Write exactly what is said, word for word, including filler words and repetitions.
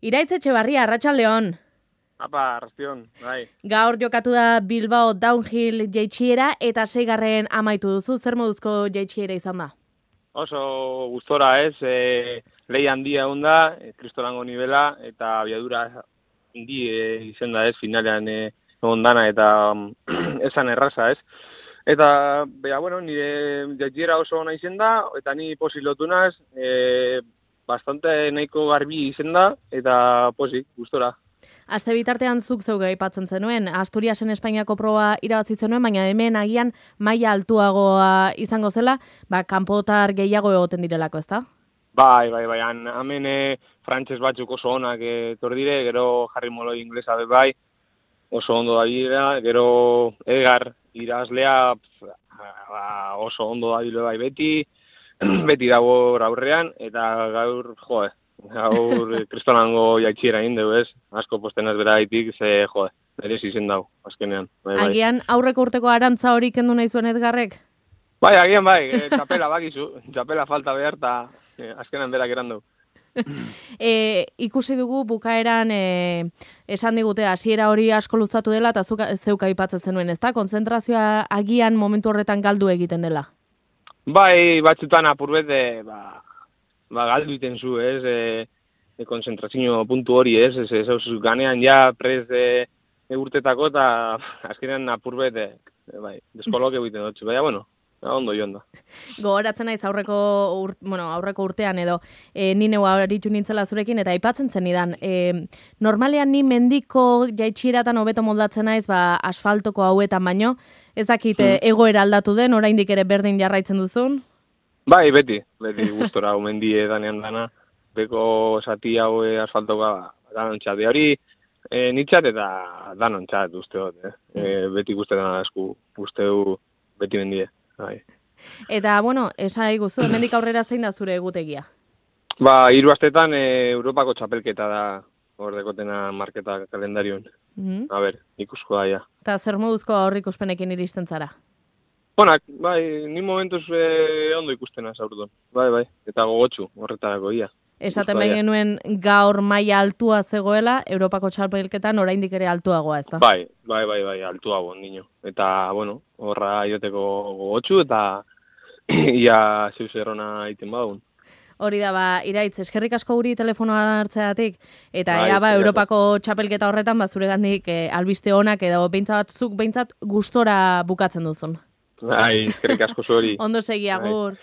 Iraitz Etxebarria, arratsaldeon. Apa, arrastion, bai. Gaur jokatu da Bilbao Downhill jaitsiera eta seigarren amaitu duzu. Zer moduzko jaitsiera izan da? Oso gustora ez, e, lehi handia onda, e, kristolango nivela, eta abiadura handi e, izan da ez, finalean e, ondana eta esan erraza ez. Eta, bea, bueno, nire jaitsiera oso ona izen da, eta ni posilotu naz, e, bastante nahiko garbi izen da, eta posik, gustora. Aste bitartean zuk zeu aipatzen zenuen, Asturiasen Espainiako proba irabazi zenuen, baina hemen agian maila altuagoa izango zela, ba, kanpotar gehiago egoten direlako, ezta? Bai, bai, bai, han, hemen e, frantses batzuk oso onak etor dire, gero Harry Molloy inglesa be bai, oso ondo da bidea, gero Edgar irabazlea ba, oso ondo da bile bai beti, beti dago aurrean, eta gaur, joe, gaur kristolango jaitsiera egin dugu ez, asko postenaz beraitik, ze, joe, berez izen dago, azkenean. Bai, bai. Agian aurreko urteko arantza hori kendu nahi zuen Edgarrek? Bai, agian bai, e, txapela bakizu, txapela falta behar, eta e, azkenean berak eran dugu. e, ikusi dugu bukaeran e, esan digute hasiera hori asko luzatu dela eta zuk zeuk aipatzen zenuen, ezta? Kontzentrazioa agian momentu horretan galdu egiten dela. Bai, batzutan apurbete, ba, ba galdu iten zu, ez? E, e konzentrazio puntu hori, ez? Ez, ez, ez ganean ja prez de, de urtetako eta azkenean apurbete, bai, deskoloke egiten dut. Baina, bueno, ondo joan da. Gogoratzen naiz aurreko ur, bueno, aurreko urtean edo e, ni neu aritu nintzela zurekin eta aipatzen zenidan. E, normalean ni mendiko jaitsieratan hobeto moldatzen naiz, ba asfaltoko hauetan baino, ez dakit hmm. egoera aldatu den, oraindik ere berdin jarraitzen duzun? Bai, beti, beti gustora hau mendie danean dana, beko zati hau asfaltoka danontzat. De hori e, nitzat eta danontzat uste dut, eh? E, beti guztetan asku, usteu beti mendie. Bai. Eta, bueno, esai guzu, hemendik aurrera zein da zure egutegia? Ba, hiru astetan e, Europako txapelketa da hor dekotena marketa kalendarioan. Mm-hmm. A ber, ikusko da, ja. Eta zer moduzko aurrikuspenekin iristen zara? Onak, bai, ni momentuz e, ondo ikustena zaurton. Bai, bai, eta gogotsu horretarako, ia. Esaten behin genuen gaur maila altua zegoela, Europako txapelketan oraindik ere altuagoa, ez da? Bai, bai, bai, bai, altuago, nino. Eta, bueno, horra ioteko gogotsu eta ia zeus errona iten bagun. Hori da, ba, Iraitz, eskerrik asko guri telefonoa hartzeatik, eta bai, ea, ba, Europako txapelketa horretan, ba, zure gandik e, albiste onak, edo behintzat, zuk behintzat gustora bukatzen duzun. Bai, eskerrik asko zuri. Ondo segi, agur.